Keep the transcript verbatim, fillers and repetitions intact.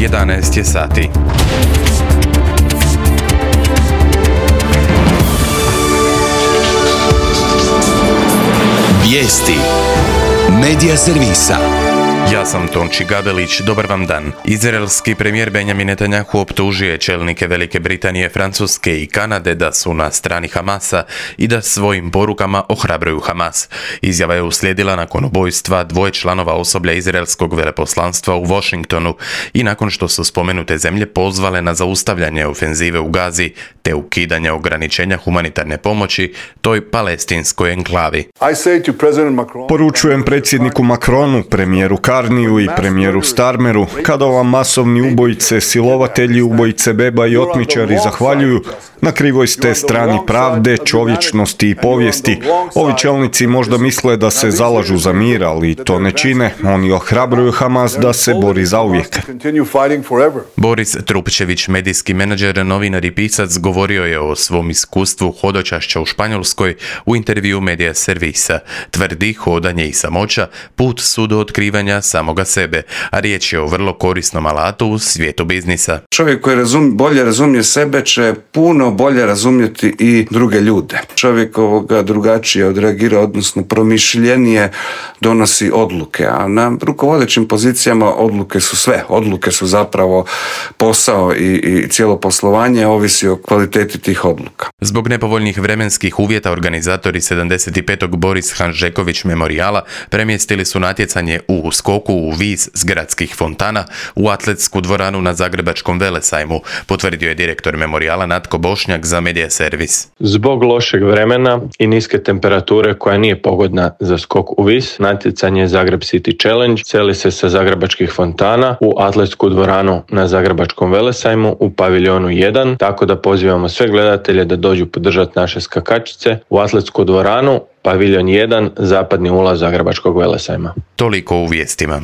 jedanaest je sati. Vijesti Medija servisa. Ja sam Tonči Gabelić, dobar vam dan. Izraelski premijer Benjamin Netanjahu optužio je čelnike Velike Britanije, Francuske i Kanade da su na strani Hamasa i da svojim porukama ohrabruju Hamas. Izjava je uslijedila nakon ubojstva dvoje članova osoblja izraelskog veleposlanstva u Washingtonu i nakon što su spomenute zemlje pozvale na zaustavljanje ofenzive u Gazi te ukidanje ograničenja humanitarne pomoći toj palestinskoj enklavi. Poručujem predsjedniku Macronu, premijeru Karniju i premijeru Starmeru, kada vam masovni ubojice, silovatelji, ubojice beba i otmičari zahvaljuju, na krivoj ste strani pravde, čovječnosti i povijesti. Ovi čelnici možda misle da se zalažu za mir, ali to ne čine. Oni ohrabruju Hamas da se bori zauvijek. Boris Trupčević, medijski menadžer, novinar i pisac, govorio je o svom iskustvu hodočašća u Španjolskoj u intervju Medija servisa. Tvrdi, hodanje i samoća put su do otkrivanja samoga sebe, a riječ je o vrlo korisnom alatu u svijetu biznisa. Čovjek koji razum, bolje razumije sebe će puno bolje razumjeti i druge ljude. Čovjek ovoga drugačije odreagira, odnosno promišljenije donosi odluke, a na rukovodećim pozicijama odluke su sve. Odluke su zapravo posao i, i cijelo poslovanje ovisi o kvaliteti tih odluka. Zbog nepovoljnih vremenskih uvjeta organizatori sedamdeset petog Boris Hanžeković memorijala premjestili su natjecanje u skoku u vis s gradskih fontana u atletsku dvoranu na Zagrebačkom velesajmu, potvrdio je direktor memorijala Natko Bošnjak za Medija servis. Zbog lošeg vremena i niske temperature koja nije pogodna za skok u vis, natjecanje Zagreb City Challenge seli se sa Zagrebačkih fontana u atletsku dvoranu na Zagrebačkom velesajmu u paviljonu jedan, tako da pozivamo sve gledatelje da dođu podržati naše skakačice u atletsku dvoranu, paviljon jedan, zapadni ulaz Zagrebačkog velesajma. Toliko u vijestima.